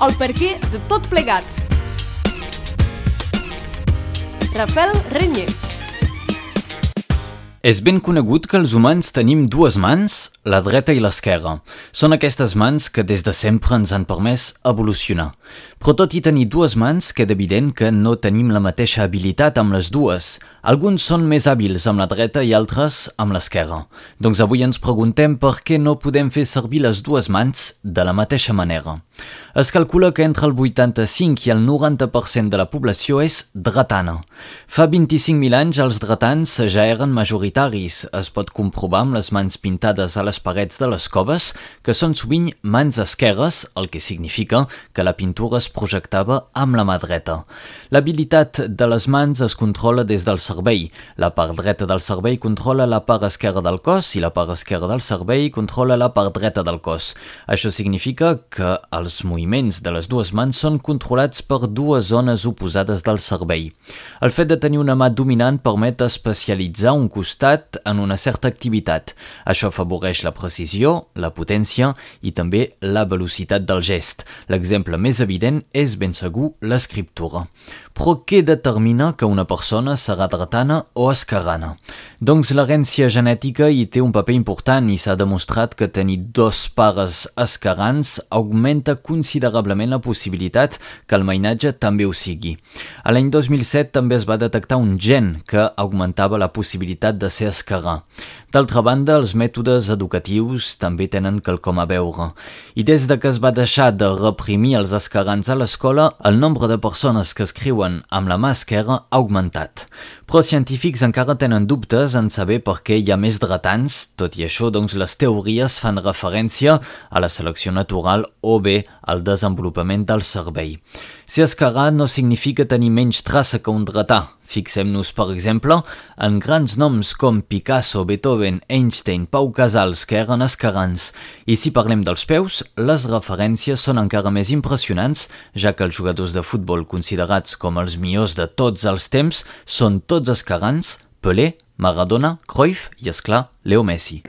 el perquè de tot plegat. Rafael Renyer. És ben conegut que els humans tenim dues mans, la dreta i l'esquerra. Són aquestes mans que des de sempre ens han permès evolucionar. Però tot i tenir dues mans, queda evident que no tenim la mateixa habilitat amb les dues. Alguns són més hàbils amb la dreta i altres amb l'esquerra. Doncs avui ens preguntem per què no podem fer servir les dues mans de la mateixa manera. Es calcula que entre el 85 i el 90% de la població és dretana. Fa 25.000 anys els dretans ja eren majoritaris. Es pot comprovar amb les mans pintades a les parets de les coves, que són sovint mans esquerres, el que significa que la pintura es projectava amb la mà dreta. L'habilitat de les mans es controla des del cervell. La part dreta del cervell controla la part esquerra del cos i la part esquerra del cervell controla la part dreta del cos. Això significa que els moviments de les dues mans són controlats per dues zones oposades del cervell. El fet de tenir una mà dominant permet especialitzar un costat en una certa activitat. Això afavoreix la precisió, la potència i també la velocitat del gest. L'exemple més evident és ben segur l'escriptura. Però què determina que una persona serà dretana o esquerrana? Doncs l'herència genètica hi té un paper important i s'ha demostrat que tenir dos pares esquerrans augmenta considerablement la possibilitat que el mainatge també ho sigui. A l'any 2007 també es va detectar un gen que augmentava la possibilitat de ser esquerrà. D'altra banda, els mètodes educatius també tenen quelcom a veure. I des de que es va deixar de reprimir els esquerrans a l'escola, el nombre de persones que escriuen amb la mà esquerra ha augmentat. Però científics encara tenen dubtes en saber per què hi ha més dretans. Tot i això, doncs, les teories fan referència a la selecció natural o bé al desenvolupament del cervell. Ser esquerrà no significa tenir menys traça que un dretà. Fixem-nos, per exemple, en grans noms com Picasso, Beethoven, Einstein, Pau Casals, que eren esquerrans. I si parlem dels peus, les referències són encara més impressionants, ja que els jugadors de futbol considerats com els millors de tots els temps són tots esquerrans: Pelé, Maradona, Cruyff i, esclar, Leo Messi.